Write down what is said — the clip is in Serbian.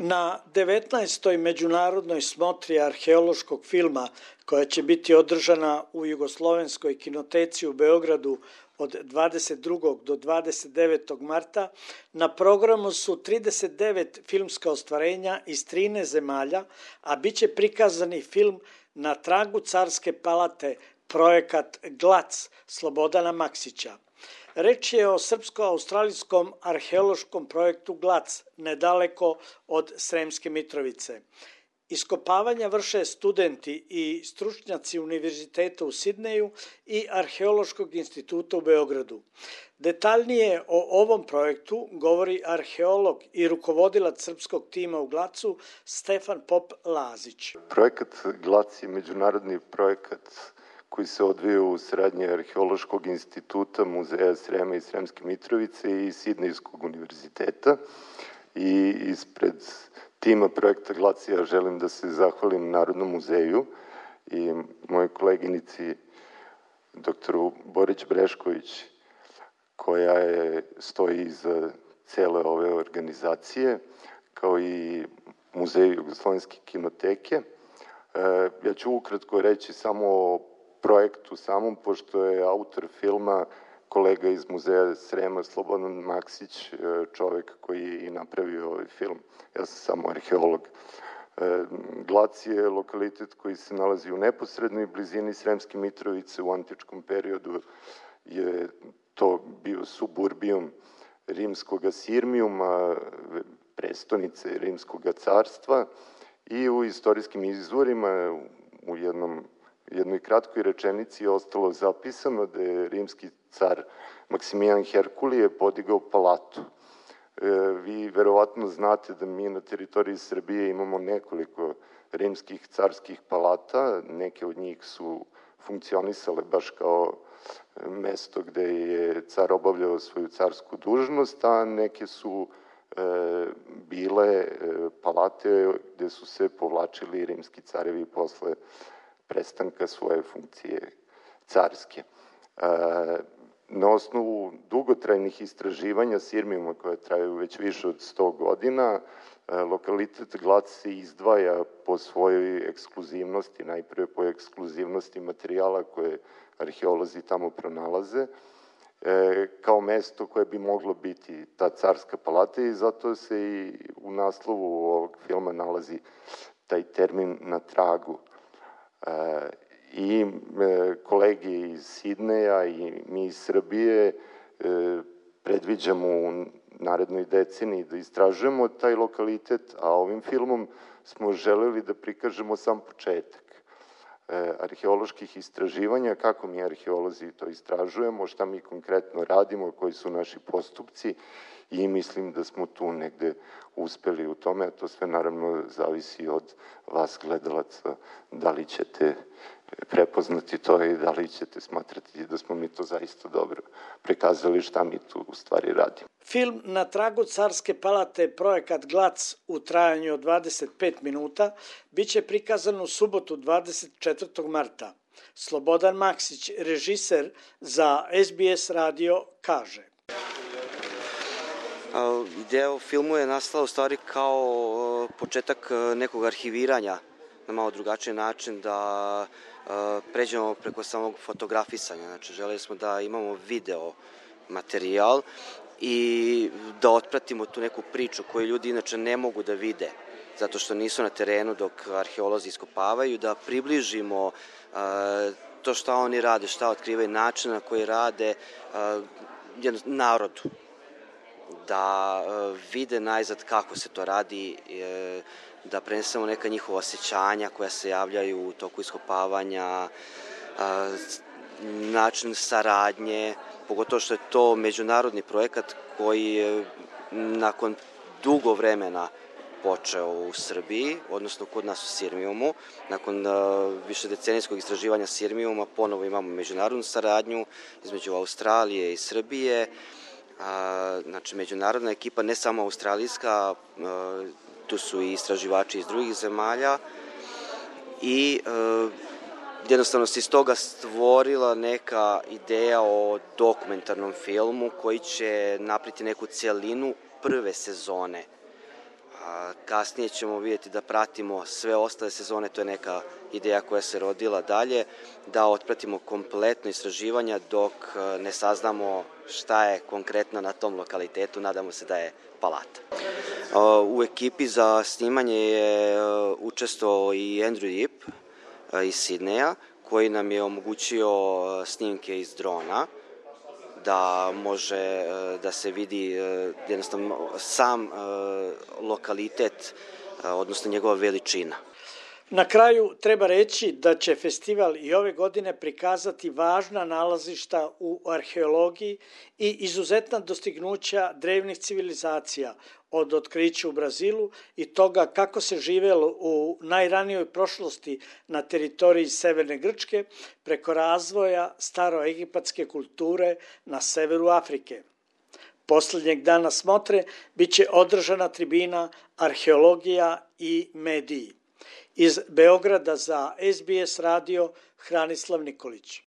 Na 19. međunarodnoj smotri arheološkog filma, koja će biti održana u Jugoslovenskoj kinoteci u Beogradu od 22. do 29. marta, na programu su 39 filmska ostvarenja iz 13 zemalja, a bit će prikazani film Na tragu carske palate, projekat GLAC Slobodana Maksića. Reč je o srpsko-australijskom arheološkom projektu GLAC, nedaleko od Sremske Mitrovice. Iskopavanja vrše studenti i stručnjaci Univerziteta u Sidneju i Arheološkog instituta u Beogradu. Detaljnije o ovom projektu govori arheolog i rukovodilac srpskog tima u GLAC-u Stefan Pop-Lazić. Projekat GLAC je međunarodni projekat koji se odvija u saradnji Arheološkog instituta, Muzeja Srema i Sremske Mitrovice i Sidnejskog univerziteta. I ispred tima projekta GLAC ja želim da se zahvalim Narodnom muzeju i mojoj koleginici doktoru Borić Brešković, koja stoji iza cele ove organizacije, kao i Muzeju Jugoslovenske kinoteke. Ja ću ukratko reći samo o projektu samom, pošto je autor filma kolega iz Muzeja Srema, Slobodan Maksić, čovek koji je i napravio ovaj film. Ja sam samo arheolog. GLAC je lokalitet koji se nalazi u neposrednoj blizini Sremske Mitrovice. U antičkom periodu je to bio suburbijum rimskog Sirmijuma, prestonice rimskog carstva, i u istorijskim izvorima u jednoj kratkoj rečenici je ostalo zapisano da je rimski car Maksimijan Herkulije podigao palatu. Vi verovatno znate da mi na teritoriji Srbije imamo nekoliko rimskih carskih palata, neke od njih su funkcionisale baš kao mesto gde je car obavljao svoju carsku dužnost, a neke su bile palate gde su se povlačili rimski carevi posle prestanka svoje funkcije carske. Na osnovu dugotrajnih istraživanja Sirmijuma, koje traju već više od 100 godina, lokalitet GLAC se izdvaja po svojoj ekskluzivnosti, najprve po ekskluzivnosti materijala koje arheolozi tamo pronalaze, kao mesto koje bi moglo biti ta carska palata, i zato se i u naslovu ovog filma nalazi taj termin na tragu. I kolege iz Sidneja i mi iz Srbije predviđamo u narednoj deceniji da istražujemo taj lokalitet, a ovim filmom smo želeli da prikažemo sam početak arheoloških istraživanja, kako mi arheolozi to istražujemo, šta mi konkretno radimo, koji su naši postupci, i mislim da smo tu negde uspeli u tome, a to sve naravno zavisi od vas gledalaca, da li ćete prepoznati to i da li ćete smatrati da smo mi to zaista dobro prikazali šta mi tu u stvari radimo. Film Na tragu carske palate, projekat GLAC u trajanju od 25 minuta, biće prikazan u subotu 24. marta. Slobodan Maksić, režiser za SBS radio, kaže. Ideja o filmu je nastala u stvari kao početak nekog arhiviranja na malo drugačiji način, da pređemo preko samog fotografisanja. Znači, želeli smo da imamo video materijal i da otpratimo tu neku priču koju ljudi inače ne mogu da vide, zato što nisu na terenu dok arheolozi iskopavaju, da približimo to šta oni rade, šta otkrivaju, način na koji rade narodu, da vide najzad kako se to radi, da prenesemo neka njihova osjećanja koja se javljaju u toku iskopavanja, način saradnje, pogotovo što je to međunarodni projekat koji je nakon dugo vremena počeo u Srbiji, odnosno kod nas u Sirmijumu. Nakon višedecenijskog istraživanja Sirmijuma ponovo imamo međunarodnu saradnju između Australije i Srbije. Znači, međunarodna ekipa, ne samo australijska, tu su i istraživači iz drugih zemalja, i jednostavno se iz toga stvorila neka ideja o dokumentarnom filmu koji će napriti neku celinu prve sezone kasnije ćemo vidjeti da pratimo sve ostale sezone, to je neka ideja koja se rodila dalje, da otpratimo kompletno istraživanja dok ne saznamo šta je konkretno na tom lokalitetu, nadamo se da je palata. U ekipi za snimanje je učestvovao i Andrew Yip iz Sidneja, koji nam je omogućio snimke iz drona, da može da se vidi jednostavno sam lokalitet, odnosno njegova veličina. Na kraju treba reći da će festival i ove godine prikazati važna nalazišta u arheologiji i izuzetna dostignuća drevnih civilizacija, od otkrića u Brazilu i toga kako se živelo u najranijoj prošlosti na teritoriji Severne Grčke preko razvoja staroegipatske kulture na severu Afrike. Poslednjeg dana smotre biće održana tribina Arheologija i mediji. Iz Beograda za SBS radio Hranislav Nikolić.